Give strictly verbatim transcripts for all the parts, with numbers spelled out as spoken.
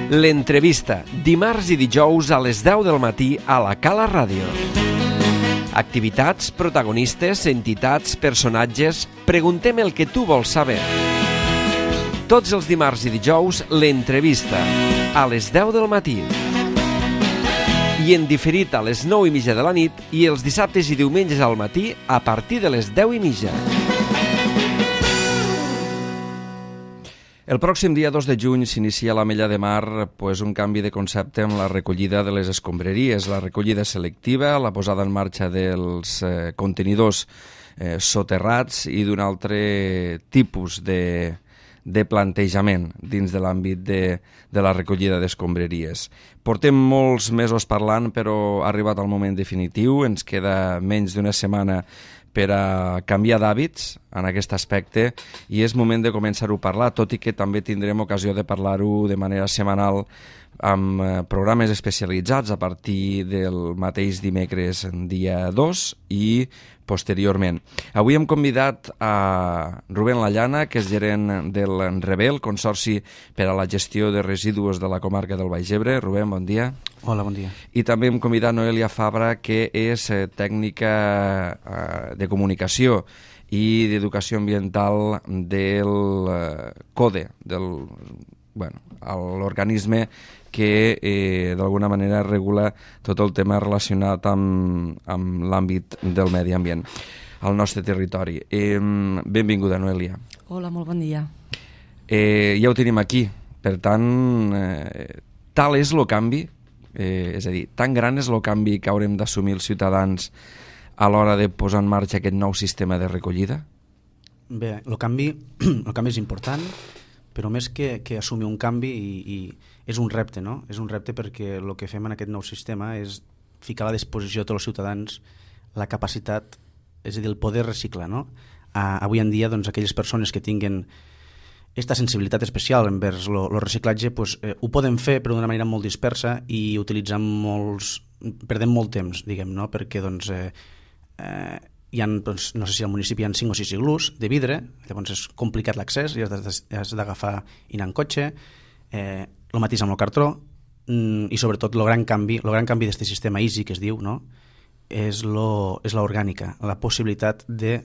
L'entrevista, dimarts i dijous a les deu del matí a la Cala Ràdio. Activitats, protagonistes, entitats, personatges... Preguntem el que tu vols saber. Tots els dimarts i dijous, l'entrevista, a les deu del matí. I en diferit a les nou i mitja de la nit i els dissabtes i diumenges al matí a partir de les deu i mitja. El pròxim dia dos de juny s'inicia a l'Ametlla de Mar pues, un canvi de concepte amb la recollida de les escombraries, la recollida selectiva, la posada en marxa dels eh, contenidors eh, soterrats i d'un altre tipus de, de plantejament dins de l'àmbit de, de la recollida d'escombraries. Portem molts mesos parlant, però ha arribat el moment definitiu, ens queda menys d'una setmana per a canviar d'hàbits en aquest aspecte i és moment de començar-ho a parlar, tot i que també tindrem ocasió de parlar-ho de manera setmanal amb programes especialitzats a partir del mateix dimecres dia dos i posteriorment. Avui hem convidat a Rubén Lallana, que és gerent del Rebel, Consorci per a la Gestió de Residus de la comarca del Baix Ebre. Rubén, bon dia. Hola, bon dia. I també hem convidat Noelia Fabra, que és tècnica de comunicació i d'educació ambiental del CODE, del, bueno, l'organisme que eh, d'alguna manera regula tot el tema relacionat amb, amb l'àmbit del medi ambient al nostre territori. Eh, benvinguda, Noelia. Hola, molt bon dia. Eh, ja ho tenim aquí, per tant, eh, tal és el canvi, eh, és a dir, tan gran és el canvi que haurem d'assumir els ciutadans a l'hora de posar en marxa aquest nou sistema de recollida? Bé, el canvi, el canvi és important, però més que, que assumir un canvi i, i és un repte, no? És un repte perquè el que fem en aquest nou sistema és ficar a la disposició de tots els ciutadans la capacitat, és a dir, el poder reciclar, no? Uh, avui en dia, doncs, aquelles persones que tinguen aquesta sensibilitat especial envers el reciclatge, pues, eh, ho poden fer però d'una manera molt dispersa i utilitzant molts... perdem molt temps, diguem, no? Perquè, doncs, eh, eh, hi ha, doncs, no sé si al municipi hi ha cinc o sis iglús de vidre, llavors és complicat l'accés i has d'agafar i anar en cotxe, eh, el mateix amb el cartró mm, i sobretot el gran canvi el gran canvi d'aquest sistema easy que es diu, no? és l'orgànica, la possibilitat de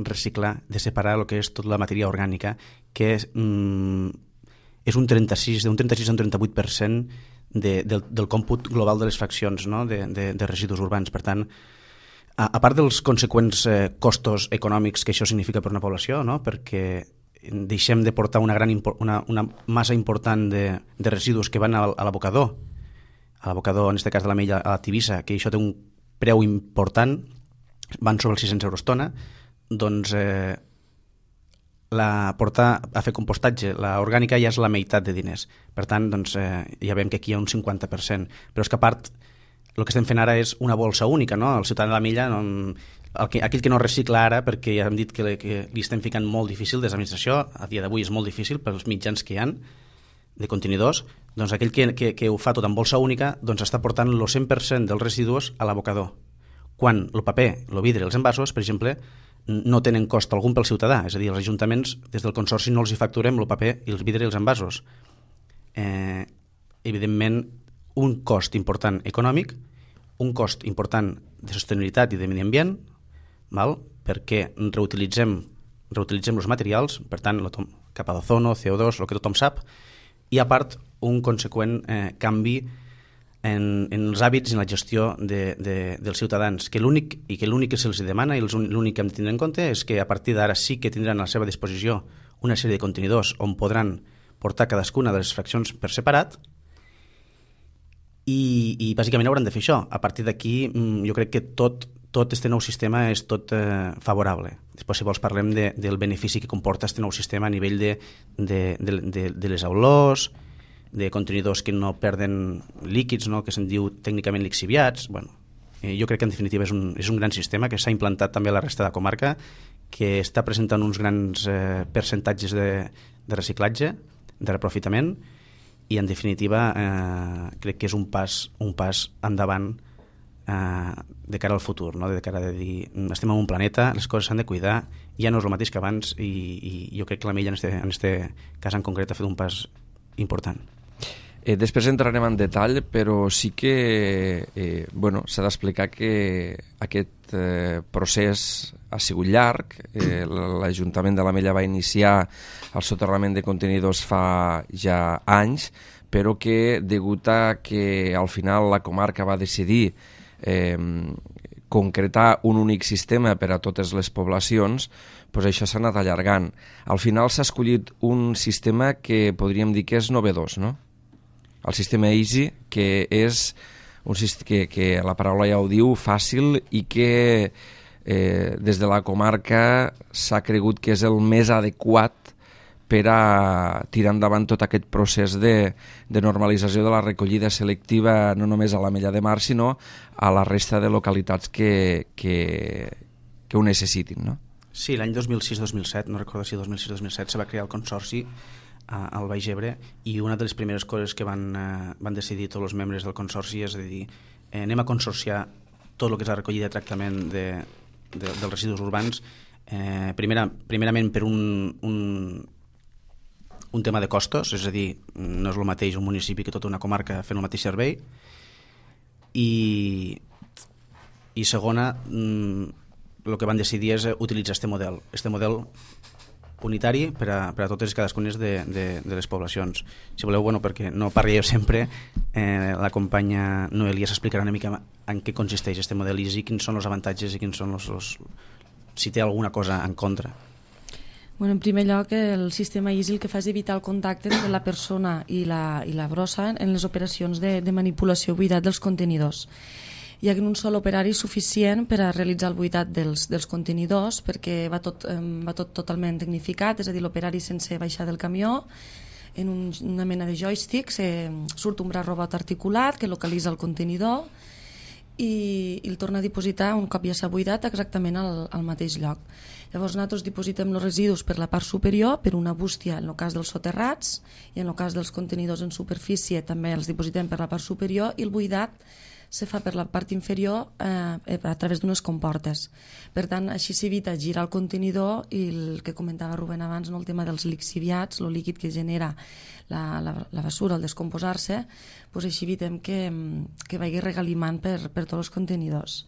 reciclar, de separar el que és tota la matèria orgànica, que és, mm, és un trenta-sis, d'un trenta-sis a un trenta-vuit per cent de, del, del còmput global de les fraccions, no? de, de, de residus urbans. Per tant, a, a part dels conseqüents eh, costos econòmics que això significa per una població, no? Perquè deixem de portar una, gran, una, una massa important de, de residus que van a, a l'abocador, a l'abocador, en aquest cas de l'Ametlla, a la Tivissa, que això té un preu important, van sobre els sis-cents euros tona, doncs eh, la, portar a fer compostatge, la orgànica ja és la meitat de diners. Per tant, doncs, eh, ja veiem que aquí hi ha un cinquanta per cent. Però és que a part, el que estem fent ara és una bolsa única, no? El ciutadà de l'Ametlla, no, el que, aquell que no recicla ara, perquè ja hem dit que, que li estem ficant molt difícil des de l'administració, a dia d'avui és molt difícil pels mitjans que hi ha de contenidors, doncs aquell que, que, que ho fa tot en bolsa única doncs està portant el cent per cent dels residus a l'abocador. Quan el paper, el vidre i els envasos, per exemple, no tenen cost algun pel ciutadà, és a dir, els ajuntaments des del Consorci no els hi facturem el paper i els vidre i els envasos. Eh, evidentment, un cost important econòmic, un cost important de sostenibilitat i de medi ambient, val? Perquè reutilitzem, reutilitzem els materials, per tant, capa d'ozono, C O dos, el que tothom sap, i a part un conseqüent eh, canvi en, en els hàbits i en la gestió de, de, dels ciutadans, que l'únic i que l'únic que se'ls demana i l'únic que hem de tindre en compte és que a partir d'ara sí que tindran a la seva disposició una sèrie de contenidors on podran portar cadascuna de les fraccions per separat i, i bàsicament hauran de fer això. A partir d'aquí jo crec que tot tot este nou sistema és tot eh, favorable. Després, si vols, parlem de, del benefici que comporta este nou sistema a nivell de, de, de, de, de les olors, de contenidors que no perden líquids, no? Que se'n diu tècnicament lixiviats. Bueno, eh, jo crec que en definitiva és un, és un gran sistema que s'ha implantat també a la resta de la comarca, que està presentant uns grans eh, percentatges de, de reciclatge, de reprofitament, i en definitiva eh, crec que és un pas, un pas endavant Uh, de cara al futur, no? De cara a dir estem en un planeta, les coses s'han de cuidar, ja no és el mateix que abans i, i jo crec que l'Ametlla en este, en este cas en concret ha fet un pas important. Eh, després entrarem en detall, però sí que eh, bueno, s'ha d'explicar que aquest eh, procés ha sigut llarg. Eh, L'Ajuntament de l'Ametlla va iniciar el soterrament de contenidors fa ja anys, però que degut a que al final la comarca va decidir eh, concretar un únic sistema per a totes les poblacions, doncs això s'ha anat allargant. Al final s'ha escollit un sistema que podríem dir que és novedós, no? El sistema Easy, que és un sistema que, que la paraula ja ho diu, fàcil, i que eh, des de la comarca s'ha cregut que és el més adequat per a tirar endavant tot aquest procés de, de normalització de la recollida selectiva, no només a l'Ametlla de Mar, sinó a la resta de localitats que, que, que ho necessitin, no? Sí, l'any dos mil sis dos mil set, no recordo si dos mil sis dos mil set, se va crear el consorci al Baix Ebre, i una de les primeres coses que van, eh, van decidir tots els membres del consorci és de dir, eh, anem a consorciar tot el que és la recollida i tractament de, de, dels residus urbans, eh, primera, primerament per un, un, un tema de costos, és a dir, no és el mateix un municipi que tota una comarca fent el mateix servei, i, i segona, el que van decidir és utilitzar aquest model, aquest model unitari per a, per a totes i cadascunes de, de, de les poblacions. Si voleu, bueno, perquè no parli jo sempre, eh, la companya Noelia s'explicarà una mica en què consisteix aquest model Easy, quins són els avantatges i quins són els, els, si té alguna cosa en contra. Bueno, en primer lloc, el sistema Easy el que fa és evitar el contacte entre la persona i la, i la brossa en les operacions de, de manipulació i buidat dels contenidors. Hi ha un sol operari suficient per a realitzar el buidat dels, dels contenidors, perquè va tot, va tot totalment tecnificat, és a dir, l'operari sense baixar del camió, en un, una mena de joystick, se, surt un braç robot articulat que localitza el contenidor i, i el torna a dipositar un cop ja s'ha buidat exactament al, al mateix lloc. Llavors nosaltres dipositem els residus per la part superior, per una bústia en el cas dels soterrats, i en el cas dels contenidors en superfície també els dipositem per la part superior, i el buidat se fa per la part inferior eh, a través d'unes comportes. Per tant, així s'evita girar el contenidor i el que comentava Rubén abans, no, el tema dels lixiviats, el líquid que genera la, la, la basura al descomposar-se, doncs així evitem que, que vagi regalimant per, per tots els contenidors.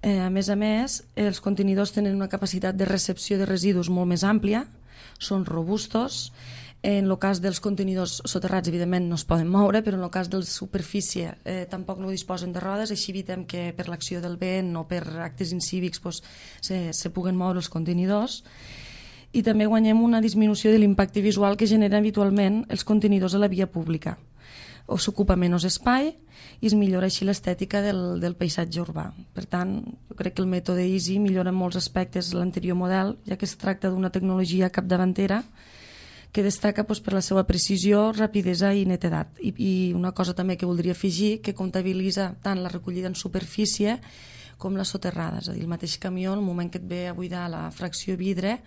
Eh, a més a més, els contenidors tenen una capacitat de recepció de residus molt més àmplia, són robustos. En el cas dels contenidors soterrats, evidentment, no es poden moure, però en el cas de la superfície eh, tampoc no disposen de rodes, així evitem que per l'acció del vent o per actes incívics pues, se, se puguen moure els contenidors. I també guanyem una disminució de l'impacte visual que genera habitualment els contenidors a la via pública. O s'ocupa menys espai i es millora així l'estètica del, del paisatge urbà. Per tant, jo crec que el mètode Easy millora en molts aspectes l'anterior model, ja que es tracta d'una tecnologia capdavantera que destaca doncs, per la seva precisió, rapidesa i netedat. I, I una cosa també que voldria afegir, que comptabilitza tant la recollida en superfície com la soterrada. És a dir, el mateix camió, el moment que et ve a buidar la fracció vidre,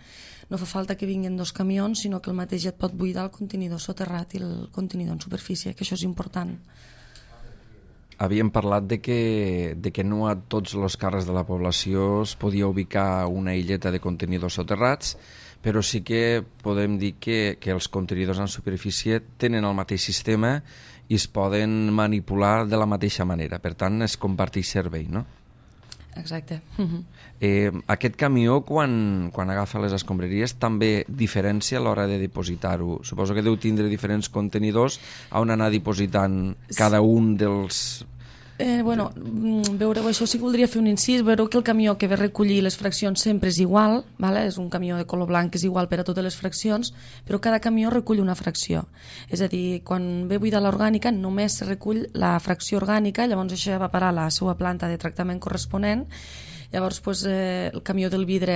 no fa falta que vinguin dos camions, sinó que el mateix ja et pot buidar el contenidor soterrat i el contenidor en superfície, que això és important. Havíem parlat de que, de que no a tots els carrers de la població es podia ubicar una illeta de contenidors soterrats, però sí que podem dir que, que els contenidors en superfície tenen el mateix sistema i es poden manipular de la mateixa manera. Per tant, es comparteix servei, no? Exacte. Eh, aquest camió, quan, quan agafa les escombraries, també diferència a l'hora de dipositar-ho. Suposo que deu tindre diferents contenidors on anar dipositant cada un dels... Eh, bueno, veureu, això sí que voldria fer un incís. Veureu que el camió que ve a recollir les fraccions sempre és igual, vale? És un camió de color blanc que és igual per a totes les fraccions, però cada camió recull una fracció. És a dir, quan ve a buidar l'orgànica només se recull la fracció orgànica, llavors això va parar a la seva planta de tractament corresponent. Llavors, pues, eh, el camió del vidre,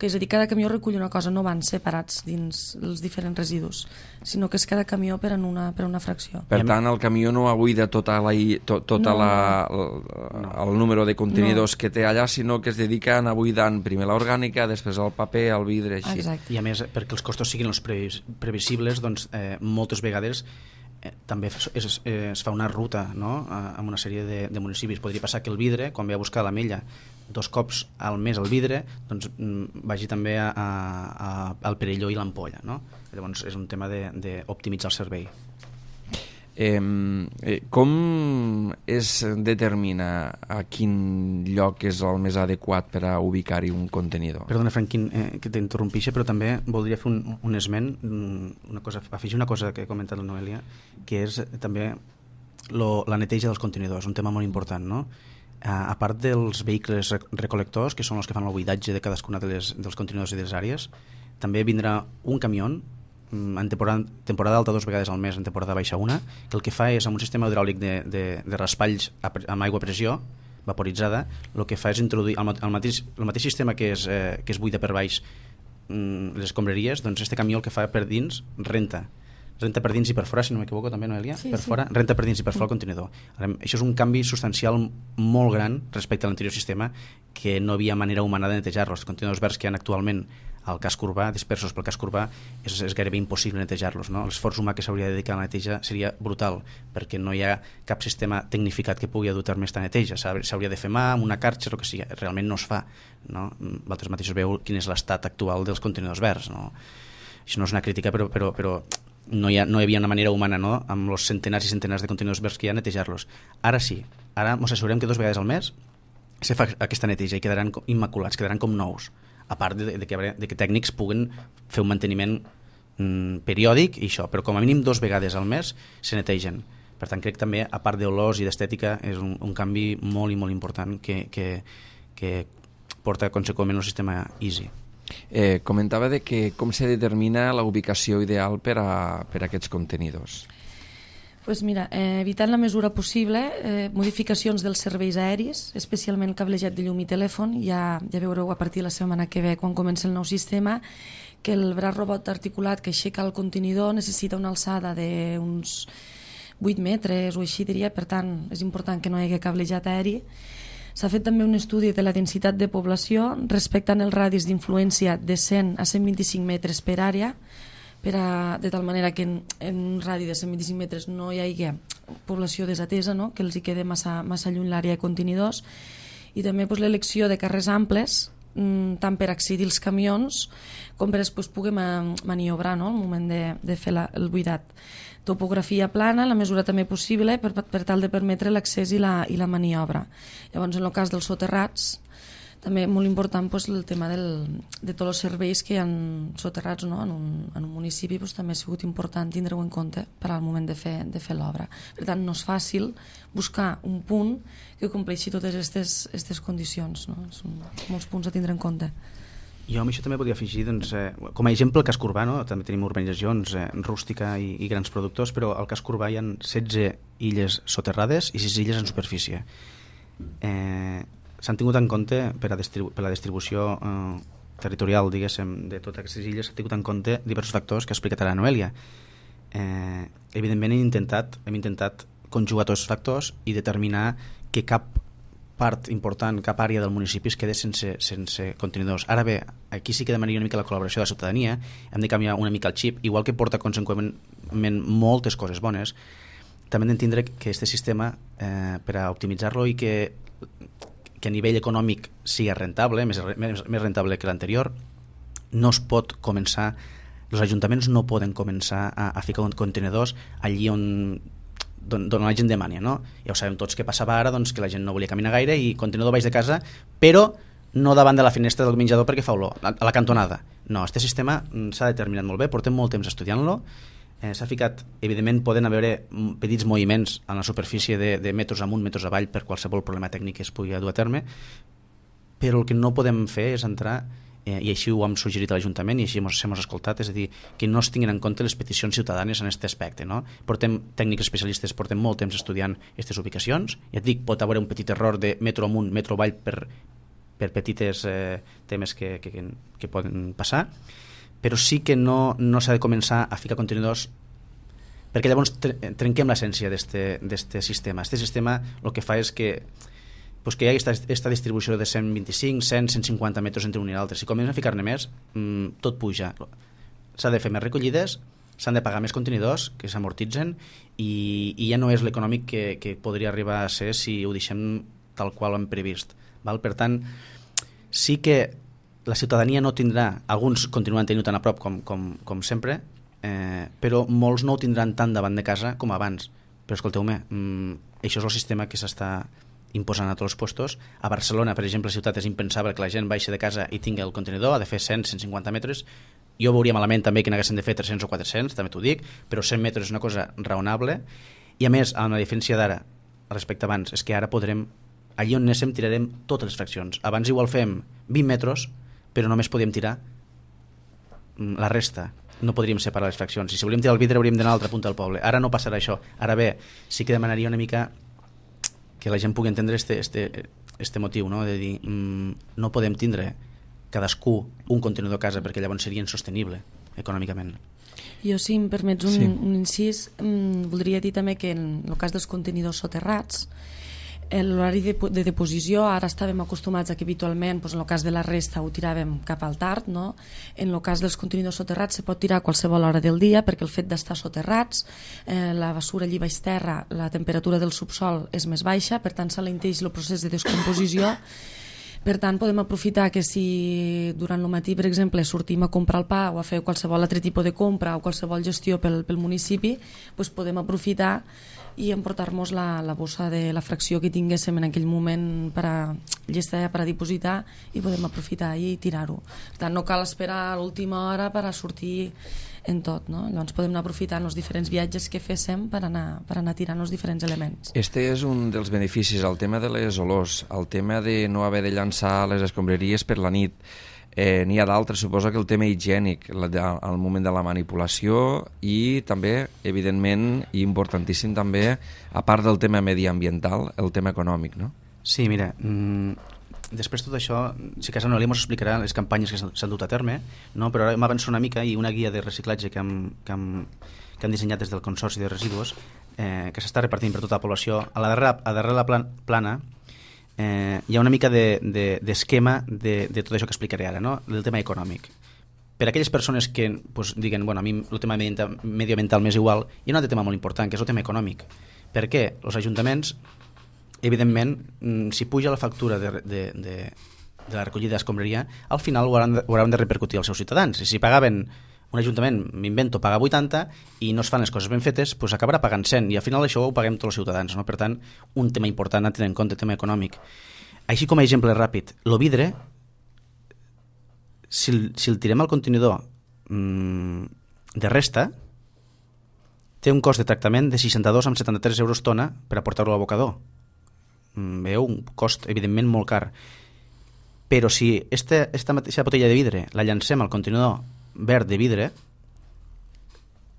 és a dir, cada camió recull una cosa, no van separats dins els diferents residus, sinó que és cada camió per, en una, per una fracció. Per tant, el camió no abuida tota la, to, tota no, la, el, no. el número de contenidors no. que té allà, sinó que es dedica a anar buidant primer l'orgànica, després el paper, el vidre, així. Exacte. I a més, perquè els costos siguin els previs, previsibles, doncs eh, moltes vegades eh, també es, es, es fa una ruta, no?, amb una sèrie de, de municipis. Podria passar que el vidre, quan ve a buscar l'Ametlla dos cops al mes el vidre, doncs vagi també a, a, a, al Perelló i l'Ampolla, no? Llavors és un tema d'optimitzar el servei. Eh, eh, com es determina a quin lloc és el més adequat per a ubicar-hi un contenidor? Perdona, Franquín, eh, que t'interrompixe, però també voldria fer un, un esment, una cosa, afegir una cosa que ha comentat la Noelia, que és també lo, la neteja dels contenidors, un tema molt important, no? A part dels vehicles recolectors, que són els que fan el buidatge de cadascuna de les, dels contenidors i de les àrees, també vindrà un camió en temporada, temporada alta dos vegades al mes, en temporada baixa una, que el que fa és, amb un sistema hidràulic de, de, de raspalls amb aigua a pressió vaporitzada, el que fa és introduir el, el, mateix, el mateix sistema que es, eh, que es buida per baix les escombraries, doncs este camió el que fa per dins renta renta per dins i per fora, si no m'equivoco també, Noelia, sí, per sí. fora, renta per dins i per fora el contenidor. Ara, això és un canvi substancial molt gran respecte a l'anterior sistema, que no havia manera humana de netejar-los. Els contenidors verds que hi ha actualment al casc urbà, dispersos pel casc urbà, és, és gairebé impossible netejar-los, no? L'esforç humà que s'hauria de dedicar a la neteja seria brutal, perquè no hi ha cap sistema tecnificat que pugui dur a terme aquesta neteja. S'hauria de fer mà, amb una carxa, el que sigui. Realment no es fa, no? Vosaltres mateixos veu quin és l'estat actual dels contenidors verds, no? Això no és una crítica, però, però, però no, hi ha, no hi havia una manera humana, no? Amb els centenars i centenars de contenidors verds que hi ha, netejar-los. Ara sí, ara ens assegurem que dos vegades al mes se fa aquesta neteja i quedaran immaculats, quedaran com nous, a part de, de, que, de que tècnics puguen fer un manteniment mm, periòdic i això, però com a mínim dos vegades al mes se netegen. Per tant, crec també, a part d'olors i d'estètica, és un, un canvi molt i molt important que, que, que porta conseqüentment un sistema easy. Eh, comentava de que com se determina la ubicació ideal per a, per a aquests contenidors. Pues mira, eh, evitant la mesura possible, eh, modificacions dels serveis aeris, especialment cablejat de llum i telèfon. Ja, ja veureu a partir de la setmana que ve, quan comença el nou sistema, que el braç robot articulat que aixeca el contenidor necessita una alçada d'uns vuit metres o així, diria. Per tant, és important que no hi hagi cablejat aeri. S'ha fet també un estudi de la densitat de població respectant els radis d'influència de cent a cent vint-i-cinc metres per àrea, per a, de tal manera que en, en un radi de cent vint-i-cinc metres no hi hagi població desatesa, no? Que els hi quede massa, massa lluny l'àrea de contenidors, i també pues, l'elecció de carrers amples, mm, tant per accedir als camions com per després poder maniobrar, no? Al moment de, de fer la, el buidat. Topografia plana, la mesura també possible per, per tal de permetre l'accés i la, i la maniobra. Llavors, en el cas dels soterrats, també molt important pues, el tema del, de tots els serveis que hi ha soterrats, no? en, un, en un municipi pues, també ha sigut important tindre-ho en compte per al moment de fer, de fer l'obra. Per tant, no és fàcil buscar un punt que compleixi totes aquestes condicions, no? Són molts punts a tindre en compte. Jo amb això també podria afegir, doncs, eh, com a exemple, el casc urbà, no? També tenim urbanitzacions eh, rústica i, i grans productors, però al casc urbà hi ha setze illes soterrades i sis illes en superfície. Eh, S'han tingut en compte per, a distribu per la distribució eh, territorial, diguéssim, de totes aquestes illes, s'han tingut en compte diversos factors que ha explicat ara Noelia. Eh, evidentment hem intentat, hem intentat conjugar tots els factors i determinar que cap part important, cap àrea del municipi es queda sense, sense contenidors. Ara bé, aquí sí que demanaria una mica la col·laboració de la ciutadania, hem de canviar una mica el xip, igual que porta conseqüentment moltes coses bones, també hem d'entendre que aquest sistema, eh, per a optimitzar-lo i que, que a nivell econòmic sigui rentable, més, més, més rentable que l'anterior, no es pot començar, els ajuntaments no poden començar a, a ficar contenidors allí on d'on la gent demania, no? Ja ho sabem tots que passava ara, doncs, que la gent no volia caminar gaire i contenidor baix de casa, però no davant de la finestra del menjador perquè fa olor, a la cantonada. No, aquest sistema s'ha determinat molt bé, portem molt temps estudiant-lo, eh, s'ha ficat, evidentment poden haver petits moviments en la superfície de, de metres amunt, metres avall per qualsevol problema tècnic que es pugui dur a terme, però el que no podem fer és entrar, eh, i així ho hem suggerit a l'Ajuntament i així hem escoltat, és a dir, que no es tinguin en compte les peticions ciutadanes en aquest aspecte, no? Portem tècnics especialistes, portem molt temps estudiant aquestes ubicacions, ja et dic, pot haver un petit error de metro amunt, metro avall per, per petites eh, temes que, que, que poden passar, però sí que no, no s'ha de començar a ficar contenidors perquè llavors trenquem l'essència d'aquest sistema. Aquest sistema el que fa és que pues que hi ha aquesta distribució de cent vint-i-cinc, cent, cent cinquanta metres entre un i l'altre. Si comencem a ficar-ne més, mmm, tot puja. S'ha de fer més recollides, s'han de pagar més contenidors que s'amortitzen i, i ja no és l'econòmic que, que podria arribar a ser si ho deixem tal qual ho hem previst. Val? Per tant, sí que la ciutadania no tindrà, alguns continuen tenint tan a prop com, com, com sempre, eh, però molts no ho tindran tant davant de casa com abans. Però escolteu-me, mm, això és el sistema que s'està imposant a tots els puestos. A Barcelona, per exemple, la ciutat és impensable que la gent baixi de casa i tingui el contenidor, ha de fer cent a cent cinquanta metres. Jo veuria malament també que n'haguessin de fer tres-cents o quatre-cents, també t'ho dic, però cent metres és una cosa raonable. I a més, amb la diferència d'ara respecte a abans, és que ara podrem, allí on anéssim tirarem totes les fraccions. Abans igual fem vint metres, però només podíem tirar la resta, no podríem separar les fraccions. I si volíem tirar el vidre hauríem d'anar a l'altra punta del poble. Ara no passarà això. Ara bé, sí que demanaria una mica que la gent pugui entendre este, este, este motiu, no? De dir, mmm, no podem tindre cadascú un contenidor a casa perquè llavors seria insostenible econòmicament. Jo, si em permets un, sí. un incís, mmm, voldria dir també que en el cas dels contenidors soterrats, l'horari de, de deposició, ara estàvem acostumats a que habitualment, doncs, en el cas de la resta ho tiràvem cap al tard, no? En el cas dels contenidors soterrats se pot tirar a qualsevol hora del dia perquè el fet d'estar soterrats, eh, la basura allí baix terra, la temperatura del subsol és més baixa, per tant s'alenteix el procés de descomposició. Per tant, podem aprofitar que si durant el matí, per exemple, sortim a comprar el pa o a fer qualsevol altre tipus de compra o qualsevol gestió pel, pel municipi, doncs podem aprofitar i emportar-nos la, la bossa de la fracció que tinguéssim en aquell moment per a llesta per a dipositar i podem aprofitar i tirar-ho. Per tant, no cal esperar a l'última hora per a sortir en tot, no? Llavors podem anar aprofitant els diferents viatges que féssim per anar, per anar tirant els diferents elements. Este és un dels beneficis, el tema de les olors, el tema de no haver de llançar les escombraries per la nit. Eh, n'hi ha d'altres, suposo que el tema higiènic, al moment de la manipulació i també, evidentment, i importantíssim també, a part del tema mediambiental, el tema econòmic, no? Sí, mira, mmm, després tot això, si casa Noelia ens explicarà les campanyes que s'han dut a terme, no? Però ara m'avanço una mica i una guia de reciclatge que hem, que hem, que hem dissenyat des del Consorci de Residus, eh, que s'està repartint per tota la població. A la darrera, a darrere la plan, plana eh, hi ha una mica d'esquema de, de, de, de tot això que explicaré ara, no? Del tema econòmic. Per a aquelles persones que pues, diguen, bueno, a mi el tema medioambiental m'és igual, hi ha un altre tema molt important, que és el tema econòmic. Per què? Els ajuntaments, evidentment, si puja la factura de, de, de, de la recollida d'escombraria, al final ho hauran, de, ho hauran de repercutir als seus ciutadans. I si pagaven, un ajuntament, m'invento, paga vuitanta i no es fan les coses ben fetes, doncs acabarà pagant cent i al final això ho paguem tots els ciutadans, no? Per tant, un tema important a tenir en compte, el tema econòmic. Així com a exemple ràpid, el vidre, si, si el tirem al contenidor mmm, de resta, té un cost de tractament de seixanta-dos coma setanta-tres euros tona per aportar-lo a l'abocador. Veu, un cost evidentment molt car. Però si esta, esta mateixa botella de vidre la llancem al contenidor verd de vidre,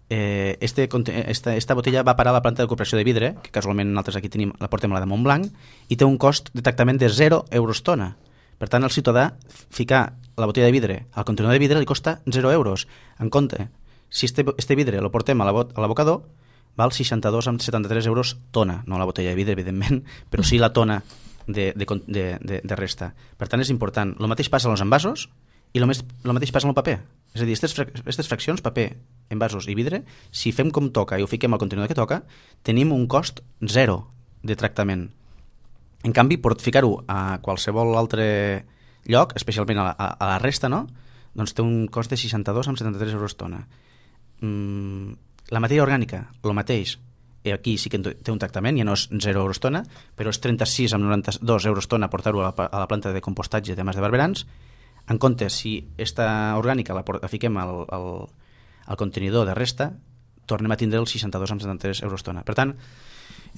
eh, este, esta, esta botella va parar a la planta de cooperació de vidre, que casualment nosaltres aquí tenim, la portem a la de Montblanc, i té un cost de tractament de zero euros tona. Per tant, al ciutadà ficar la botella de vidre al contenidor de vidre li costa zero euros. En compte, si este, este vidre lo portem a l'abocador, val seixanta-dos coma setanta-tres euros tona, no la botella de vidre, evidentment, però sí la tona de, de, de, de, de resta. Per tant, és important. El mateix passa als envasos i el mateix passa amb el paper. És a dir, aquestes fraccions, paper, envasos i vidre, si fem com toca i ho fiquem al contenidor que toca, tenim un cost zero de tractament. En canvi, per ficar-ho a qualsevol altre lloc, especialment a la, a la resta, no? Doncs té un cost de seixanta-dos coma setanta-tres euros tona. Mm, la matèria orgànica, el mateix, i aquí sí que té un tractament, ja no és zero euros tona, però és trenta-sis coma noranta-dos euros tona portar-ho a, a la planta de compostatge de Mas de Barberans. En compte, si esta orgànica la, la fiquem al, al, al contenidor de resta, tornem a tindre els seixanta-dos coma setanta-tres euros tona. Per tant,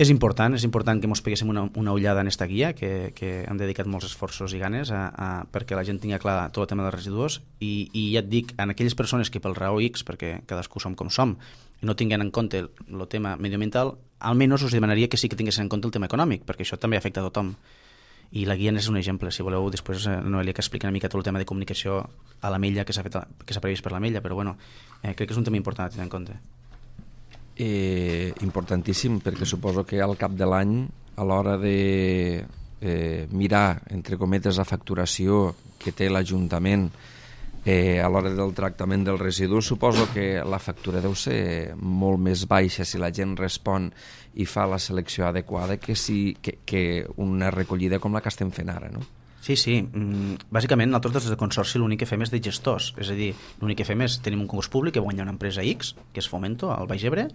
és important, és important que ens peguéssim una, una ullada en esta guia, que, que hem dedicat molts esforços i ganes a, a, perquè la gent tingui clar tot el tema dels residus i, i ja et dic, en aquelles persones que pel raó X, perquè cadascú som com som, i no tinguin en compte el, el tema mediambiental, almenys us demanaria que sí que tinguessin en compte el tema econòmic, perquè això també afecta a tothom. I la guia és un exemple. Si voleu, després Noelia que expliqui una mica tot el tema de comunicació a l'Ametlla que s'ha fet, que s'ha previst per l'Ametlla, però bueno, eh, crec que és un tema important a tenir en compte. Eh, importantíssim, perquè suposo que al cap de l'any, a l'hora de eh, mirar, entre cometes, la facturació que té l'Ajuntament eh, a l'hora del tractament dels residus, suposo que la factura deu ser molt més baixa si la gent respon i fa la selecció adequada que, si, que, que una recollida com la que estem fent ara, no? Sí, sí. Bàsicament, nosaltres des del Consorci l'únic que fem és de gestors. És a dir, l'únic que fem és, tenim un concurs públic que guanya una empresa X, que és Fomento, al Baix Ebre,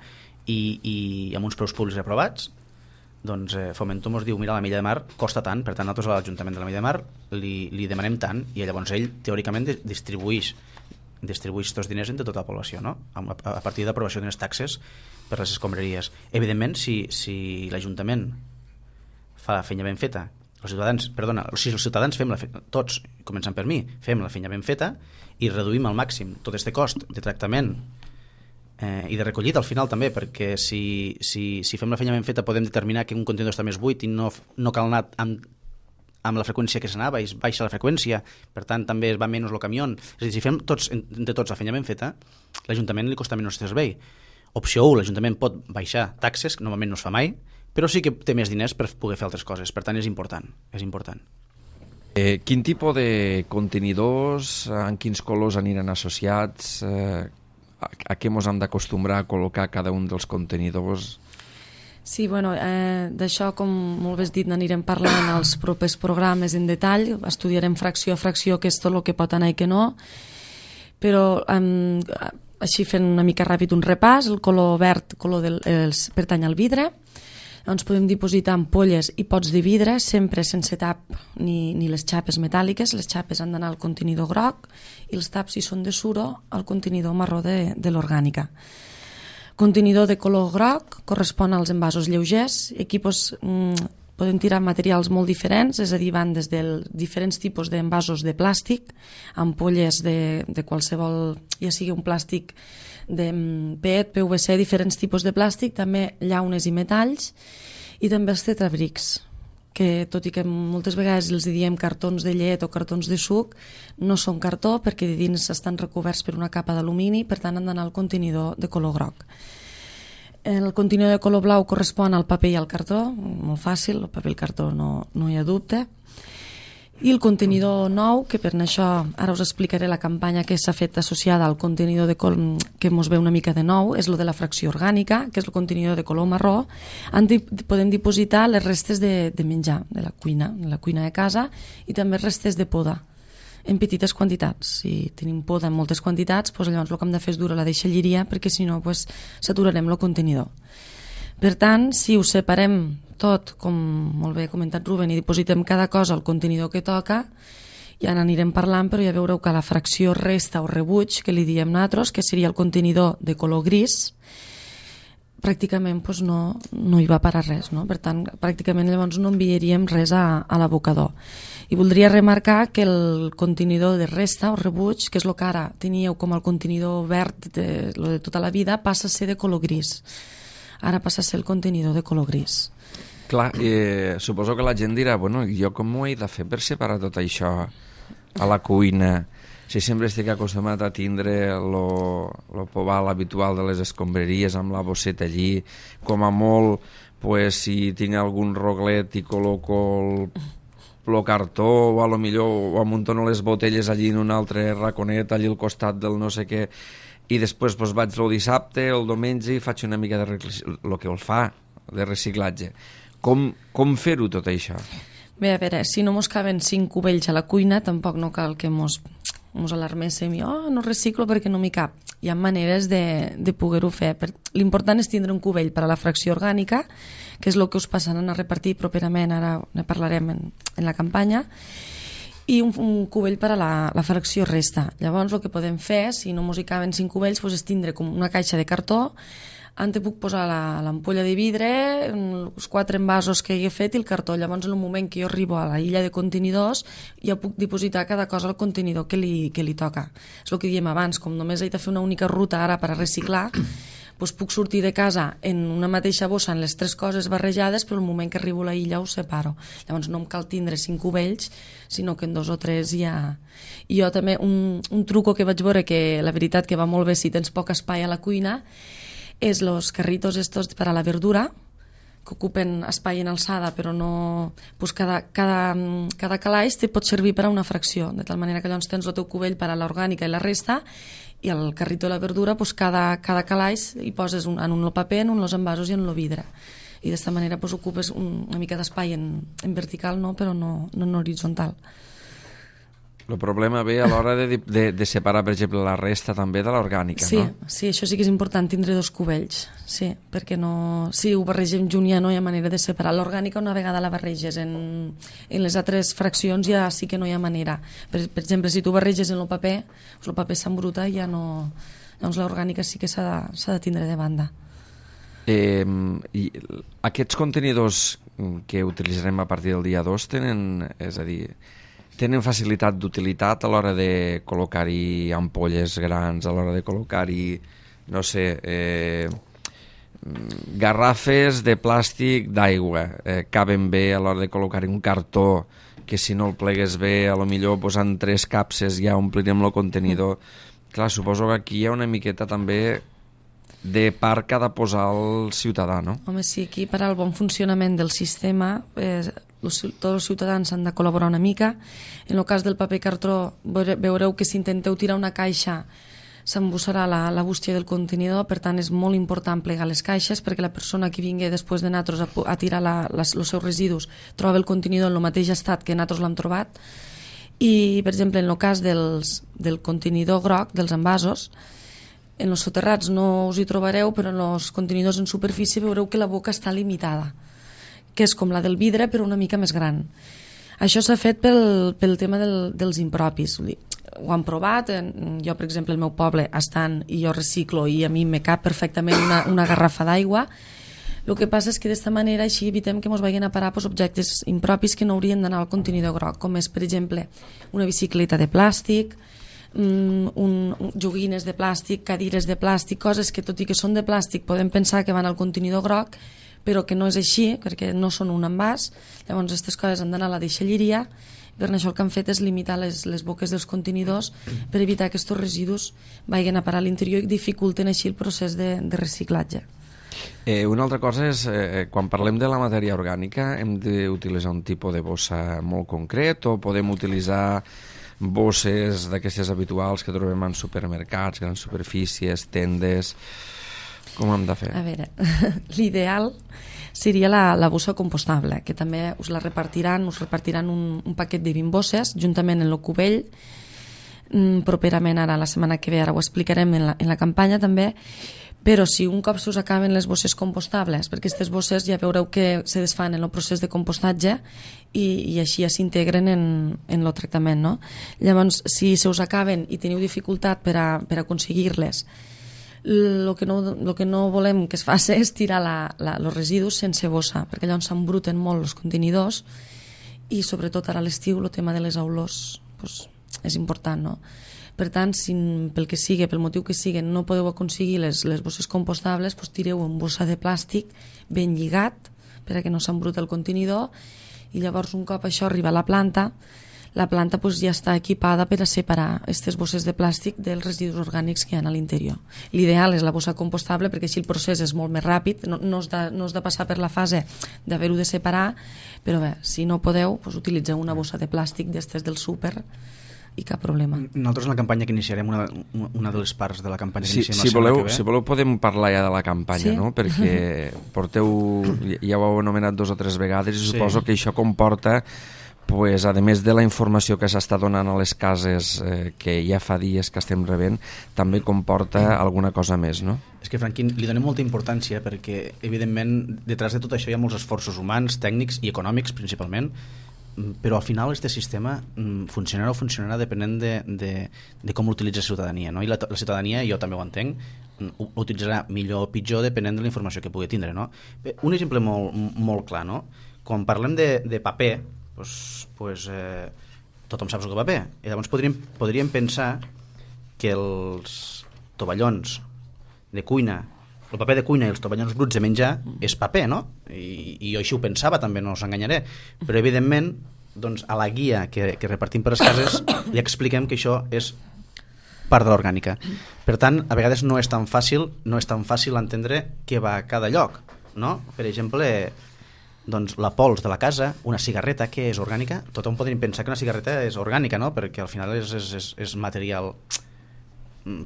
i, i amb uns preus públics aprovats, doncs eh, Fomento ens diu, mira, la Milla de Mar costa tant, per tant nosaltres a l'Ajuntament de la Milla de Mar li, li demanem tant, i llavors ell teòricament distribueix distribueix tots els diners entre tota la població, no? a, a partir d'aprovació d'unes taxes per les escombraries. Evidentment, si, si l'Ajuntament fa la feina ben feta, els ciutadans, perdona, si els ciutadans fem la feina, tots, començant per mi, fem la feina ben feta i reduïm al màxim tot aquest cost de tractament eh, i de recollida al final també, perquè si, si, si fem la feina ben feta podem determinar que un contenidor està més buit i no, no cal anar amb, amb la freqüència que s'anava i es baixa la freqüència, per tant també es va menys el camió. És a dir, si fem tots, entre tots la feina ben feta, l'Ajuntament li costa menys servei. Opció u, l'Ajuntament pot baixar taxes, que normalment no es fa mai, però sí que té més diners per poder fer altres coses, per tant és important, és important. Eh, quin tipus de contenidors, en quins colors aniran associats, eh, a, a què ens hem d'acostumbrar a col·locar cada un dels contenidors? Sí, bueno, eh, d'això, com molt bé has dit, n'anirem parlant als propers programes en detall, estudiarem fracció a fracció què és tot el que pot anar i què no, però eh, així fent una mica ràpid un repàs, el color verd color del, els, pertany al vidre. Doncs podem dipositar ampolles i pots de vidre, sempre sense tap ni, ni les xapes metàl·liques. Les xapes han d'anar al contenidor groc i els taps, si són de suro, al contenidor marró de, de l'orgànica. Contenidor de color groc correspon als envasos lleugers. Aquí doncs, mm, podem tirar materials molt diferents, és a dir, van des dels diferents tipus d'envasos de plàstic, ampolles de, de qualsevol, ja sigui un plàstic de P E T, P V C, diferents tipus de plàstic, també llaunes i metalls, i també els tetrabrics, que tot i que moltes vegades els diem cartons de llet o cartons de suc, no són cartó perquè de dins estan recoberts per una capa d'alumini, per tant han d'anar al contenidor de color groc. El contenidor de color blau correspon al paper i al cartó, molt fàcil, el paper i el cartó no, no hi ha dubte. I el contenidor nou, que per això ara us explicaré la campanya que s'ha fet associada al contenidor de col que ens ve una mica de nou, és el de la fracció orgànica, que és el contenidor de color marró. En podem dipositar les restes de, de menjar, de la cuina, de la cuina de casa, i també restes de poda, en petites quantitats. Si tenim poda en moltes quantitats, doncs llavors el que hem de fer és dur a la deixalleria, perquè si no doncs, saturarem el contenidor. Per tant, si ho separem tot, com molt bé ha comentat Ruben, i dipositem cada cosa al contenidor que toca, ja n'anirem parlant, però ja veureu que la fracció resta o rebuig, que li diem nosaltres, que seria el contenidor de color gris, pràcticament doncs, no, no hi va parar res, no? Per tant, pràcticament llavors no enviaríem res a, a l'abocador. I voldria remarcar que el contenidor de resta o rebuig, que és el que ara teníeu com el contenidor verd de, lo de tota la vida, passa a ser de color gris. Ara passa a ser el contenidor de color gris. Clar, eh, suposo que la gent dirà, bueno, jo com ho he de fer per separar tot això a la cuina? Si sempre estic acostumat a tindre lo, lo pobal habitual de les escombraries amb la bosseta allí, com a molt, pues, si tinc algun roglet i col·loco el, el cartó, o a lo millor o amuntono les botelles allí en un altre raconet, allí al costat del no sé què, i després doncs, vaig el dissabte, el diumenge, i faig una mica de el que el fa, de reciclatge. Com, com fer-ho tot això? Bé, a veure, si no mos caben cinc cubells a la cuina, tampoc no cal que mos, mos alarméssim i oh, no reciclo perquè no m'hi cap. Hi ha maneres de, de poder-ho fer. L'important és tindre un cubell per a la fracció orgànica, que és el que us passaran a repartir properament, ara ne parlarem en, en la campanya, i un, un cubell per a la, la fracció resta. Llavors el que podem fer, si no mos hi caben cinc cubells, doncs és tindre com una caixa de cartó, on te puc posar l'ampolla de vidre, els quatre envasos que he fet i el cartó. Llavors en el moment que jo arribo a la illa de contenidors ja puc dipositar cada cosa al contenidor que li, que li toca. És el que diem abans, com només he de fer una única ruta ara per a reciclar, doncs puc sortir de casa en una mateixa bossa en les tres coses barrejades, però el moment que arribo a la illa ho separo. Llavors no em cal tindre cinc cubells, sinó que en dos o tres ja... I jo també, un, un truco que vaig veure que la veritat que va molt bé si tens poc espai a la cuina, és los carritos estos per a la verdura, que ocupen espai en alçada, però no... Pues cada, cada, cada calaix te pot servir per a una fracció, de tal manera que llavors tens el teu cubell per a l'orgànica i la resta, i al carrito de la verdura pues cada, cada calaix hi poses un, en un el paper, en un els envasos i en el vidre. i d'esta manera pues, ocupes un, una mica d'espai en, en vertical, no? Però no, no en horitzontal. El problema ve a l'hora de, de, de separar, per exemple, la resta també de l'orgànica, sí, no? Sí, això sí que és important, tindre dos cubells, sí, perquè no, si ho barregem junt ja no hi ha manera de separar. L'orgànica una vegada la barreges en, en les altres fraccions ja sí que no hi ha manera. Per, per exemple, si tu barreges en el paper, el paper s'embruta i ja no... Llavors l'orgànica sí que s'ha de, s'ha de tindre de banda. Eh, i aquests contenidors que utilitzarem a partir del dia dos tenen, és a dir, tenen facilitat d'utilitat a l'hora de col·locar-hi ampolles grans, a l'hora de col·locar-hi, no sé, eh, garrafes de plàstic d'aigua, eh, caben bé a l'hora de col·locar-hi un cartó que si no el plegues bé, a lo millor posant tres capses ja omplirem el contenidor. Mm. Clar, suposo que aquí hi ha una miqueta també de part que ha de posar el ciutadà, no? Home, sí, aquí per al bon funcionament del sistema eh, los, tots els ciutadans han de col·laborar una mica. En el cas del paper cartró veureu que si intenteu tirar una caixa s'embussarà la, la bústia del contenidor, per tant és molt important plegar les caixes perquè la persona que vingui després de nosaltres a, a tirar la, les, els seus residus troba el contenidor en el mateix estat que nosaltres l'hem trobat. I, per exemple, en el cas dels, del contenidor groc, dels envasos, en els soterrats no us hi trobareu, però en els contenidors en superfície veureu que la boca està limitada, que és com la del vidre però una mica més gran. Això s'ha fet pel, pel tema del, dels impropis. Ho han provat, jo per exemple el meu poble estan i jo reciclo i a mi me cap perfectament una, una garrafa d'aigua. El que passa és que d'esta manera així evitem que ens vagin a parar pues, objectes impropis que no haurien d'anar al contenidor groc, com és per exemple una bicicleta de plàstic, un, un, joguines de plàstic, cadires de plàstic, coses que tot i que són de plàstic podem pensar que van al contenidor groc, però que no és així, perquè no són un envàs. Llavors aquestes coses han d'anar a la deixalleria. Per això el que han fet és limitar les, les boques dels contenidors per evitar que aquests residus vagin a parar a l'interior i dificulten així el procés de, de reciclatge. Eh, una altra cosa és, eh, quan parlem de la matèria orgànica, hem d'utilitzar un tipus de bossa molt concret o podem utilitzar bosses d'aquestes habituals que trobem en supermercats, grans superfícies, tendes... Com hem de fer? A veure, l'ideal seria la, la bossa compostable, que també us la repartiran, us repartiran un, un paquet de vint bosses, juntament en el cubell, mm, properament ara, la setmana que ve, ara ho explicarem en la, en la campanya també, però si un cop se us acaben les bosses compostables, perquè aquestes bosses ja veureu que se desfan en el procés de compostatge i, i així ja s'integren en, en el tractament, no? Llavors, si se us acaben i teniu dificultat per a, per a aconseguir-les, el que, no, el que no volem que es faci és tirar els residus sense bossa, perquè llavors s'embruten molt els contenidors i sobretot ara a l'estiu el tema de les olors pues, és important, no? Per tant, si pel que sigui, pel motiu que sigui, no podeu aconseguir les, les bosses compostables, pues, tireu en bossa de plàstic ben lligat perquè no s'embruta el contenidor i llavors un cop això arriba a la planta, la planta pues, ja està equipada per a separar aquestes bosses de plàstic dels residus orgànics que hi ha a l'interior. L'ideal és la bossa compostable perquè així el procés és molt més ràpid, no, no, has, de, no has de passar per la fase d'haver-ho de separar, però bé, si no podeu, pues, utilitzeu una bossa de plàstic d'estes del súper i cap problema. Nosaltres en la campanya que iniciarem, una, una de les parts de la campanya que si, iniciem si la voleu, que ve... Si voleu podem parlar ja de la campanya, sí? No? Perquè porteu, ja ho heu anomenat dos o tres vegades i sí. Suposo que això comporta pues, a més de la informació que s'està donant a les cases eh, que ja fa dies que estem rebent, també comporta alguna cosa més, no? És que, Franquín, li donem molta importància perquè, evidentment, detrás de tot això hi ha molts esforços humans, tècnics i econòmics, principalment, però al final aquest sistema funcionarà o funcionarà depenent de, de, de com l'utilitza la ciutadania, no? I la, la ciutadania, jo també ho entenc, ho utilitzarà millor o pitjor depenent de la informació que pugui tindre, no? Un exemple molt, molt clar, no? Quan parlem de, de paper, pues, pues, eh, tothom sap el que paper, i llavors podríem, podríem pensar que els tovallons de cuina, el paper de cuina i els tovallons bruts de menjar és paper, no? I, i jo així ho pensava, també no us enganyaré, però evidentment doncs, a la guia que, que repartim per les cases li expliquem que això és part de l'orgànica. Per tant, a vegades no és tan fàcil no és tan fàcil entendre què va a cada lloc, no? Per exemple, doncs la pols de la casa, una cigarreta, què és orgànica? Tothom podríem pensar que una cigarreta és orgànica, no? Perquè al final és, és, és, és material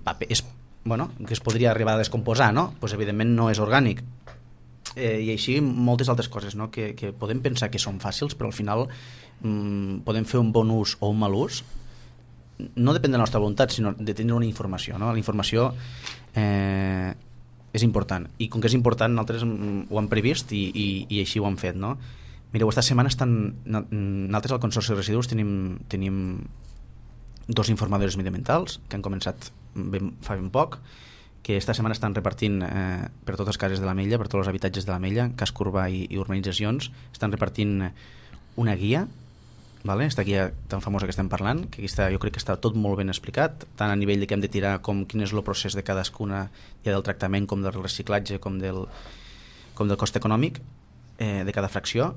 paper, és, bueno, que es podria arribar a descomposar, no? Pues evidentment no és orgànic. eh, i així moltes altres coses, no? que, que podem pensar que són fàcils, però al final mm, podem fer un bon ús o un mal ús. No depèn de la nostra voluntat, sinó de tenir una informació, no? La informació eh, és important, i com que és important nosaltres ho hem previst i, i, i així ho hem fet, no? Mireu, esta setmana estan, nosaltres al Consorci de Residus tenim, tenim dos informadors mediambientals que han començat ben, fa ben poc, que esta setmana estan repartint eh, per totes les cases de l'Ametlla, per tots els habitatges de l'Ametlla, casc urbà i, i urbanitzacions, estan repartint una guia, vale? Esta guia tan famosa que estem parlant, que està, jo crec que està tot molt ben explicat, tant a nivell de què hem de tirar, com quin és el procés de cadascuna, ja del tractament, com del reciclatge, com del, com del cost econòmic eh, de cada fracció,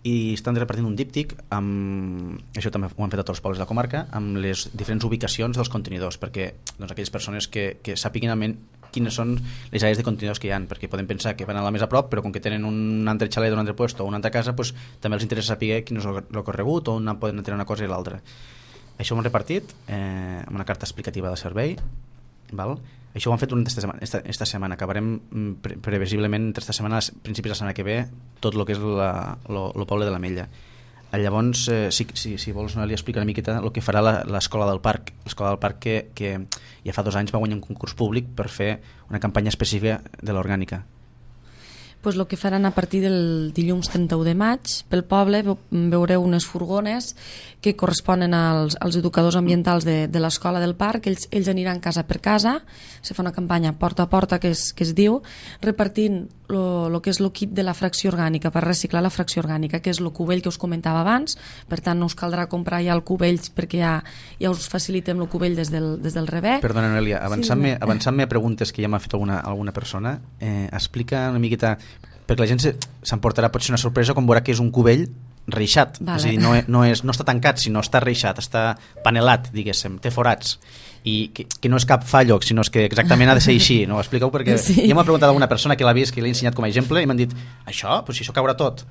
i estan repartint un díptic amb, això també ho han fet a tots els pobles de la comarca, amb les diferents ubicacions dels contenidors, perquè doncs, aquelles persones que, que sàpiguen quines són les àrees de contenidors que hi ha, perquè podem pensar que van a la més a prop, però com que tenen un altre xalet d'un altre lloc o una altra casa, doncs, també els interessa saber quin és el recorregut o on poden tenir una cosa i l'altra. Això ho hem repartit eh, amb una carta explicativa del servei, val? Això ho han fet durant esta setmana, esta, esta setmana. Acabarem pre previsiblement entre esta setmana, a principis de la setmana que ve, tot el que és el poble de l'Ametlla. Llavors, eh, si, si, si vols, Noelia, explica una miqueta el que farà l'Escola del Parc. L'Escola del Parc que, que ja fa dos anys va guanyar un concurs públic per fer una campanya específica de l'orgànica. Pues el que faran a partir del dilluns trenta-u de maig pel poble veureu unes furgones que corresponen als, als educadors ambientals de, de l'escola del parc. Ells, ells aniran casa per casa, se fa una campanya porta a porta que es, que es diu, repartint el que és el kit de la fracció orgànica per reciclar la fracció orgànica, que és el cubell que us comentava abans. Per tant no us caldrà comprar ja el cubell perquè ja, ja us facilitem el cubell des del, des del rebé. Perdona, Noelia, avançant-me sí, avançant a preguntes que ja m'ha fet alguna, alguna persona, eh, explica una miqueta, perquè la gent s'emportarà potser una sorpresa quan veurà que és un cubell reixat, vale. És a dir, no, no, és, no està tancat, sinó està reixat, està panelat, diguéssim, té forats, i que, que no és cap fallo, sinó és que exactament ha de ser així, no? Explica-ho, perquè sí. Ja m'ha preguntat alguna persona que l'ha vist, que l'he ensenyat com a exemple, i m'han dit, això? Pues si això caurà tot.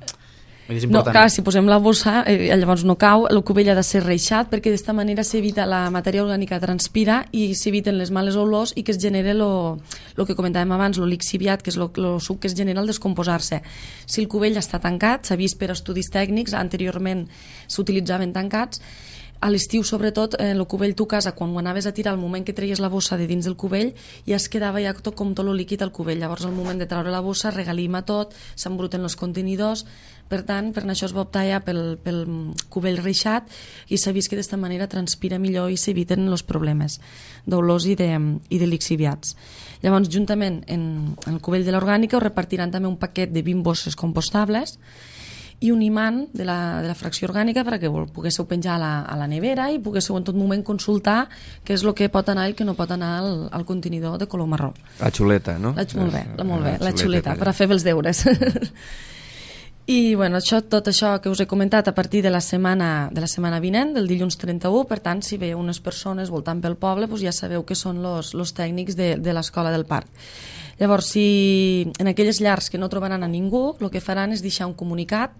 No, clar, si posem la bossa, eh, llavors no cau, el cubell ha de ser reixat, perquè d'esta manera s'evita la matèria orgànica transpira i s'eviten les males olors i que es genera el que comentàvem abans, el lixiviat, que és el suc que es genera al descomposar-se. Si el cubell està tancat, s'ha vist per estudis tècnics, anteriorment s'utilitzaven tancats, a l'estiu sobretot el cubell tu casa quan ho anaves a tirar, al moment que treies la bossa de dins del cubell ja es quedava ja tot com tot el líquid al cubell, llavors al moment de treure la bossa regalima tot, s'embruten els contenidors. Per tant, per això es va optar ja pel, pel cubell reixat i s'ha vist que d'esta manera transpira millor i s'eviten els problemes d'olors i de, i de lixiviats. Llavors, juntament en, en el cubell de l'orgànica us repartiran també un paquet de vint bosses compostables i un imant de la, de la fracció orgànica perquè poguéssiu penjar a la, a la nevera i poguéssiu en tot moment consultar què és el que pot anar i el que no pot anar al, al contenidor de color marró. La xuleta, no? La, molt bé, la, molt bé, la, la xuleta, per a fer els deures. I bueno, això, tot això que us he comentat a partir de la setmana, de la setmana vinent, del dilluns trenta-u, per tant, si veieu unes persones voltant pel poble, doncs ja sabeu que són els tècnics de, de l'escola del parc. Llavors, si en aquelles llars que no trobaran a ningú, el que faran és deixar un comunicat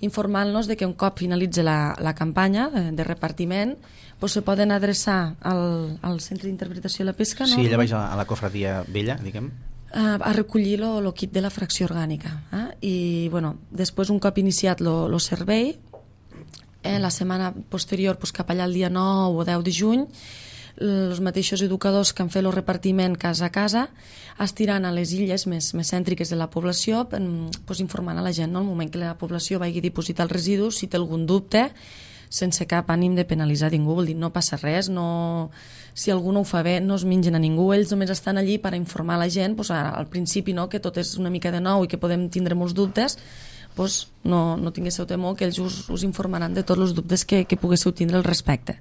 informant-nos de que un cop finalitzi la, la campanya de repartiment doncs se poden adreçar al, al Centre d'Interpretació de la Pesca, no? Sí, ella vaig a la cofradia vella, diguem. A, a recollir el kit de la fracció orgànica. Eh? I bueno, després, un cop iniciat el servei, eh, la setmana posterior, doncs, cap allà el dia nou o deu de juny, els mateixos educadors que han fet el repartiment casa a casa estiran a les illes més, més cèntriques de la població pues, informant a la gent, no? Al moment que la població vagi a dipositar els residus, si té algun dubte, sense cap ànim de penalitzar ningú, vol dir, no passa res, no... si algú no ho fa bé no es mengen a ningú, ells només estan allí per informar la gent, pues, al principi no, que tot és una mica de nou i que podem tindre molts dubtes, pues, no, no tinguéssiu temor, que ells us, us informaran de tots els dubtes que, que poguéssiu tindre al respecte.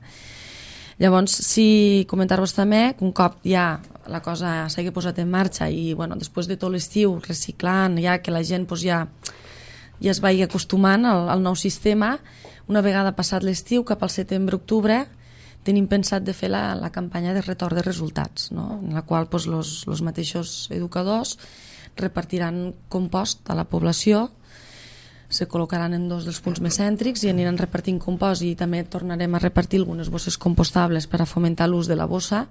Llavors, si comentar-vos també que un cop ja la cosa s'hagi posat en marxa i bueno, després de tot l'estiu reciclant, ja que la gent pues, ja, ja es vagi acostumant al, al nou sistema, una vegada passat l'estiu, cap al setembre-octubre, tenim pensat de fer la, la campanya de retorn de resultats, no? En la qual pues, los, los mateixos educadors repartiran compost a la població, se col·locaran en dos dels punts més cèntrics i aniran repartint compost i també tornarem a repartir algunes bosses compostables per a fomentar l'ús de la bossa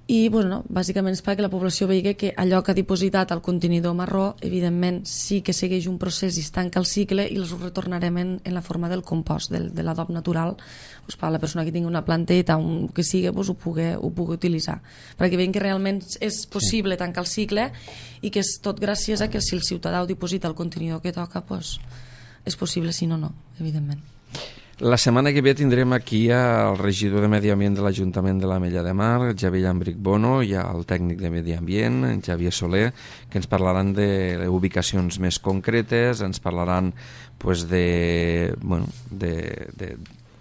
i bueno, bàsicament és perquè la població vegi que allò que ha dipositat al contenidor marró, evidentment sí que segueix un procés i es tanca el cicle i els retornarem en, en la forma del compost, del, de l'adob natural, pues, per a la persona que tingui una planteta, un, que sigui, pues, ho, pugui, ho pugui utilitzar, perquè veiem que realment és possible sí. tancar el cicle i que és tot gràcies a que si el ciutadà ho diposita al contenidor que toca, pues, és possible, si no, no, evidentment. La setmana que ve tindrem aquí el regidor de Medi Ambient de l'Ajuntament de l'Ametlla de Mar, Javier Llambric Bono, i el tècnic de Medi Ambient, Xavier Soler, que ens parlaran de ubicacions més concretes, ens parlaran pues, de, bueno, de, de,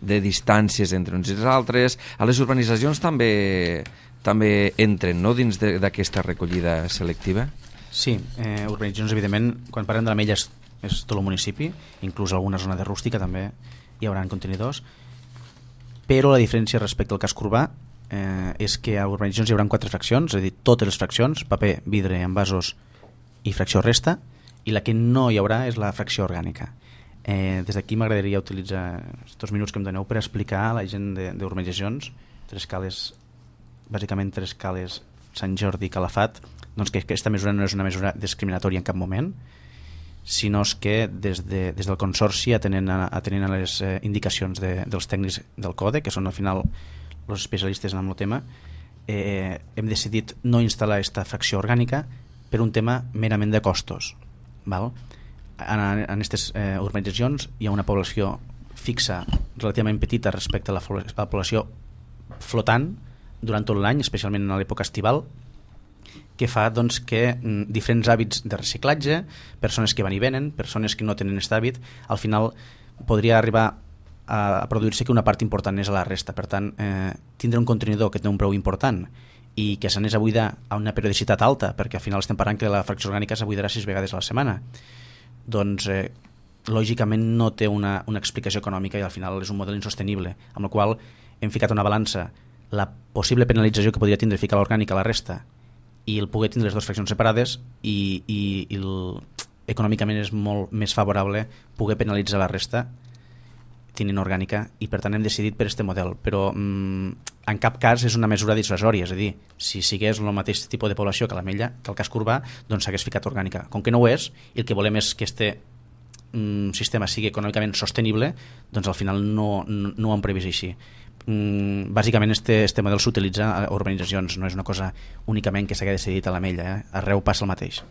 de distàncies entre uns i els altres. A les urbanitzacions també, també entren, no?, dins d'aquesta recollida selectiva? Sí, eh, urbanitzacions, evidentment, quan parlem de l'Ametlla és, és tot el municipi, inclús alguna zona de rústica també hi haurà contenidors, però la diferència respecte al casc urbà eh, és que a urbanitzacions hi haurà quatre fraccions, és a dir, totes les fraccions, paper, vidre, envasos i fracció resta, i la que no hi haurà és la fracció orgànica. Eh, des d'aquí m'agradaria utilitzar aquests minuts que em doneu per explicar a la gent d'urbanitzacions, tres cales, bàsicament tres cales, Sant Jordi i Calafat, doncs que aquesta mesura no és una mesura discriminatòria en cap moment, sinó que des, de, des del Consorci, atenent a, atenent a les eh, indicacions de, dels tècnics del CODE, que són al final els especialistes en el tema, eh, hem decidit no instal·lar aquesta fracció orgànica per un tema merament de costos. Val? En aquestes eh, urbanitzacions hi ha una població fixa relativament petita respecte a la, a la població flotant durant tot l'any, especialment en l'època estival, que fa doncs, que mm, diferents hàbits de reciclatge, persones que van i venen, persones que no tenen aquest hàbit, al final podria arribar a, a produir-se que una part important és a la resta. Per tant, eh, tindre un contenidor que té un preu important i que s'anés a buidar a una periodicitat alta, perquè al final estem parlant que la fracció orgànica s'abuidarà sis vegades a la setmana, doncs eh, lògicament no té una, una explicació econòmica i al final és un model insostenible, amb el qual hem ficat una balança la possible penalització que podria tindre ficar l'orgànica a la resta i el poder tindre les dues fraccions separades i, i, i el, econòmicament és molt més favorable poder penalitzar la resta tenint orgànica i per tant hem decidit per aquest model, però mm, en cap cas és una mesura dissuasòria, és a dir, si sigués el mateix tipus de població que l'Ametlla, que el casc urbà, doncs s'hagués ficat orgànica. Com que no ho és i el que volem és que este mm, sistema sigui econòmicament sostenible, doncs al final no, no, no ho hem previst així. Mm, bàsicament este, este model s'utilitza a urbanitzacions, no és una cosa únicament que s'hagués decidit a l'Ametlla, eh? Arreu passa el mateix.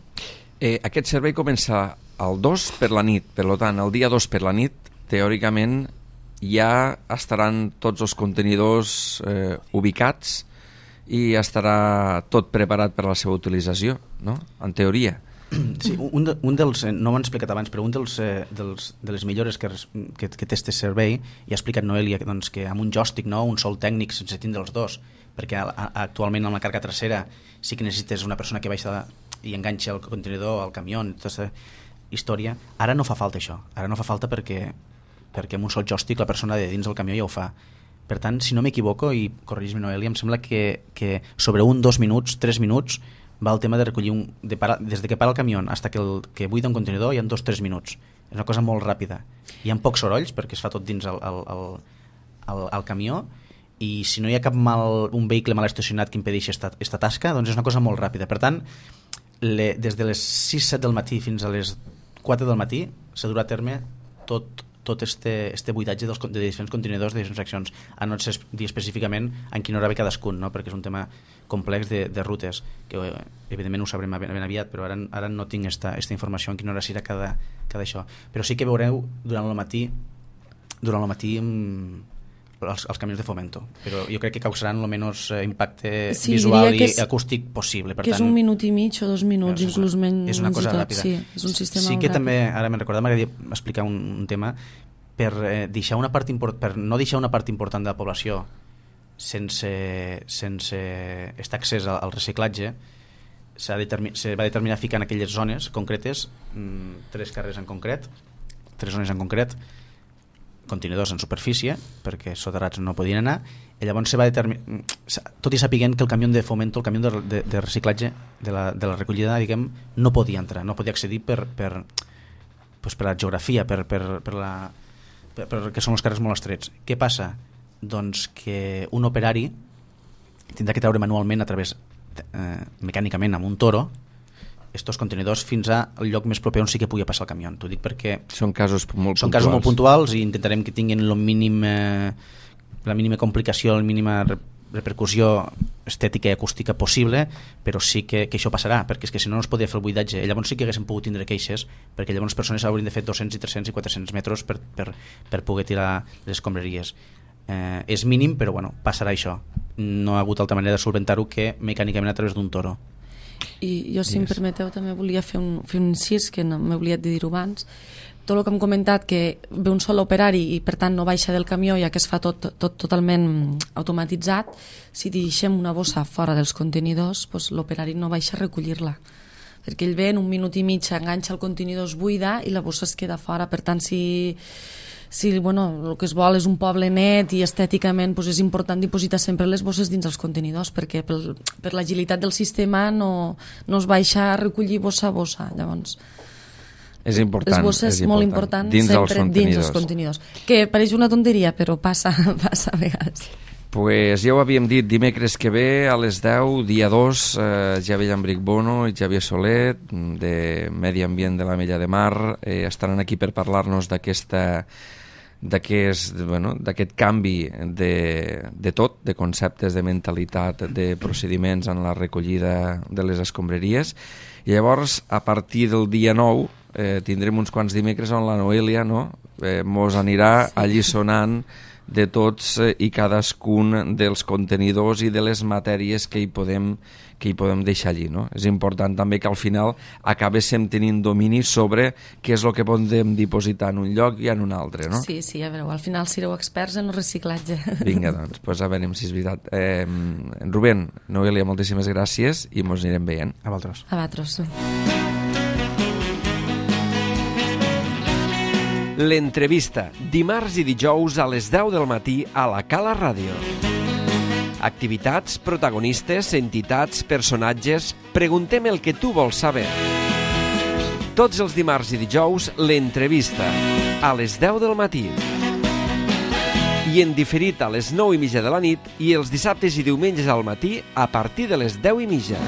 Eh, aquest servei comença el dos per la nit, per tant, el dia dos per la nit, teòricament ja estaran tots els contenidors eh, ubicats i estarà tot preparat per a la seva utilització, no? En teoria. Sí, un, de, un dels, no m'han explicat abans, però un dels, eh, dels, de les millores que, que, que té este servei, i ha explicat Noelia, doncs, que amb un joystick, no, un sol tècnic sense tindre els dos, perquè a, a, actualment amb la càrrega trasera sí que necessites una persona que baixa i enganxa el contenidor al camió, tota aquesta història. Ara no fa falta això, ara no fa falta perquè, perquè amb un sol joystick la persona de dins del camió ja ho fa. Per tant, si no m'equivoco, i corregis-me Noelia, em sembla que, que sobre un, dos minuts, tres minuts va el tema de recollir un, de parar, des de que para el camió fins que, el, que buida un contenidor hi ha dos o tres minuts, és una cosa molt ràpida, hi ha pocs sorolls perquè es fa tot dins el, el, el, el, el camió i si no hi ha cap mal, un vehicle mal estacionat que impedeixi esta, esta tasca, doncs és una cosa molt ràpida. Per tant, le, des de les sis set del matí fins a les quatre del matí s'ha dur a terme tot tot este, este buidatge dels, de diferents contenidors de diferents fraccions, a no ser dir específicament en quina hora ve cadascun, no? Perquè és un tema complex de, de rutes, que evidentment ho sabrem ben, ben aviat, però ara, ara no tinc esta, esta informació en quina hora serà cada, cada això. Però sí que veureu durant el matí durant el matí els, els camions de Fomento, però jo crec que causaran el menys impacte sí, visual i és, acústic possible. Per que tant, és un minut i mig o dos minuts, és, inclús menys. És una cosa ràpida. Sí, és un sistema sí que ràpid. També, ara me'n recordava, m'agradaria explicar un, un tema per, eh, deixar una part import, per no deixar una part important de la població sense, sense estar accés al, al reciclatge. Se va determinar ficar en aquelles zones concretes, mmm, tres carrers en concret, tres zones en concret, contenidors en superfície, perquè soterrats no podien anar, i llavors se va determinar, tot i sapiguent que el camió de Fomento, el camió de, de, de reciclatge de la, de la recollida, diguem, no podia entrar, no podia accedir per, per, pues per la geografia, per, per, per la, per, per, que són els carrers molt estrets. Què passa? Doncs que un operari tindrà que treure manualment a través, eh, mecànicament, amb un toro, estos contenidors fins al lloc més proper on sí que pugui passar el camió. T'ho dic perquè són casos molt són puntuals. casos molt puntuals i intentarem que tinguin el mínim, eh, la mínima complicació, la mínima repercussió estètica i acústica possible, però sí que, que això passarà, perquè és que si no no es podria fer el buidatge. Llavors sí que haguéssim pogut tindre queixes, perquè llavors les persones haurien de fer dos-cents i tres-cents i quatre-cents metres per, per, per poder tirar les escombraries. Eh, és mínim, però bueno, passarà això. No ha hagut altra manera de solventar-ho que mecànicament a través d'un toro. I jo, si em permeteu, també volia fer un, fer un incís, que no m'he oblidat de dir-ho abans. Tot el que hem comentat, que ve un sol operari i per tant no baixa del camió, ja que es fa tot, tot totalment automatitzat, si deixem una bossa fora dels contenidors, doncs l'operari no baixa a recollir-la, perquè ell ve en un minut i mig, enganxa el contenidor, es buida i la bossa es queda fora. Per tant, si, si bueno, el que es vol és un poble net i estèticament doncs és important dipositar sempre les bosses dins els contenidors, perquè pel, per l'agilitat del sistema no, no es baixa a recollir bossa a bossa. Llavors és important, les bosses és molt important. important Dins sempre els dins els contenidors, que pareix una tonteria però passa, passa a vegades. Pues ja ho havíem dit, dimecres que ve a les deu, dia dos, eh, Javier Llambric Bono i Xavier Soler de Medi Ambient de l'Ametlla de Mar eh, estaran aquí per parlar-nos d'aquesta d'aquest bueno, d'aquest canvi de, de tot, de conceptes, de mentalitat, de procediments en la recollida de les escombraries. I llavors, a partir del dia nou, eh, tindrem uns quants dimecres on la Noelia, no? eh, mos anirà sí. allisonant de tots eh, i cadascun dels contenidors i de les matèries que hi podem, que hi podem deixar allí. No? És important també que al final acabéssim tenint domini sobre què és el que podem dipositar en un lloc i en un altre. No? Sí, sí, ja veureu, al final sereu experts en el reciclatge. Vinga, doncs, pues a veure si és veritat. Eh, Rubén, Noelia, moltíssimes gràcies i mos anirem veient. A vosaltres. A vosaltres. L'entrevista, dimarts i dijous a les deu del matí a la Cala Ràdio. Activitats, protagonistes, entitats, personatges... Preguntem el que tu vols saber. Tots els dimarts i dijous, l'entrevista, a les deu del matí. I en diferit a les nou i mitja de la nit i els dissabtes i diumenges al matí a partir de les deu i mitja.